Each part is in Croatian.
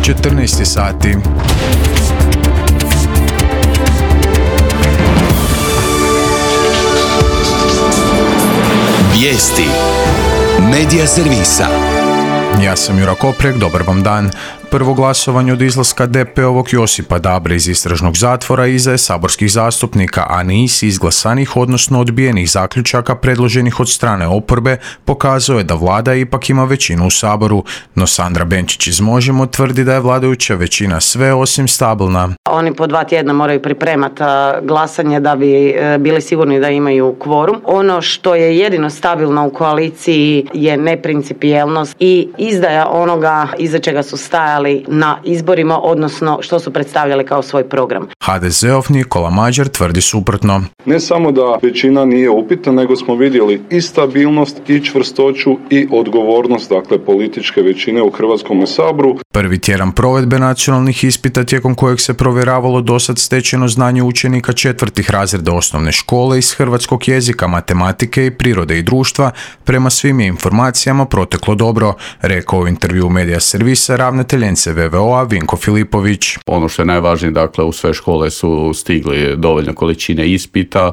14 sati. Vijesti Medija servisa. Ja sam Jura Koprek, dobar vam dan. Prvo glasovanje od izlaska DP-ovog Josipa Dabre iz istražnog zatvora iza je saborskih zastupnika, a niz izglasanih, odnosno odbijenih zaključaka predloženih od strane oporbe pokazuje je da vlada ipak ima većinu u Saboru, no Sandra Benčić iz Možemo tvrdi da je vladajuća većina sve osim stabilna. Oni po 2 tjedna moraju pripremati glasanje da bi bili sigurni da imaju kvorum. Ono što je jedino stabilno u koaliciji je neprincipijelnost i izdaja onoga iza čega su stajali na izborima, odnosno što su predstavljali kao svoj program. HDZ-ov Nikola Mađar tvrdi suprotno. Ne samo da većina nije upitna, nego smo vidjeli i stabilnost, i čvrstoću, i odgovornost, dakle, političke većine u Hrvatskom saboru. Prvi tjedan provedbe nacionalnih ispita tijekom kojeg se provjeravalo dosad stečeno znanje učenika 4. razreda osnovne škole iz hrvatskog jezika, matematike i prirode i društva, prema svim je informacijama proteklo dobro, rekao u intervju Medija servisa ravnatelj NCVVO-a Vinko Filipović. Ono što je najvažnije, dakle, u sve škole su stigli dovoljne količine ispita,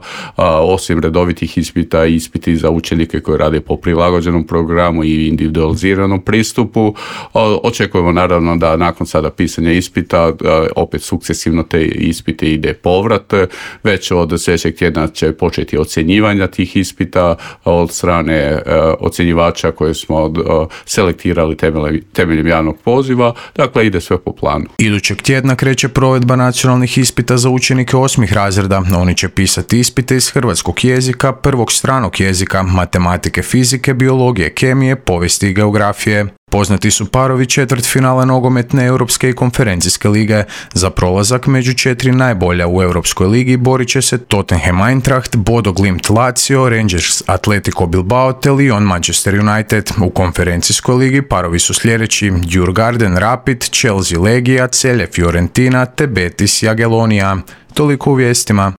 osim redovitih ispita, ispiti za učenike koji rade po prilagođenom programu i individualiziranom pristupu. Očekujemo naravno da nakon sada pisanja ispita opet sukcesivno te ispite ide povrat. Već od sljedećeg tjedna će početi ocjenjivanja tih ispita od strane ocjenjivača koje smo selektirali temeljem javnog poziva. Dakle, ide sve po planu. Idućeg tjedna kreće provedba nacionalnih ispita za učenike 8. razreda. Oni će pisati ispite iz hrvatskog jezika, prvog stranog jezika, matematike, fizike, biologije, kemije, povijesti i geografije. Poznati su parovi četvrtfinala nogometne europske i konferencijske lige. Za prolazak među 4 najbolja u Europskoj ligi borit će se Tottenham Eintracht, Bodo Glimt Lazio, Rangers Atletico Bilbao te Lyon Manchester United. U konferencijskoj ligi parovi su sljedeći: Djurgården Rapid, Chelsea Legija, Celje Fiorentina te Betis Jagiellonia. Toliko u vijestima.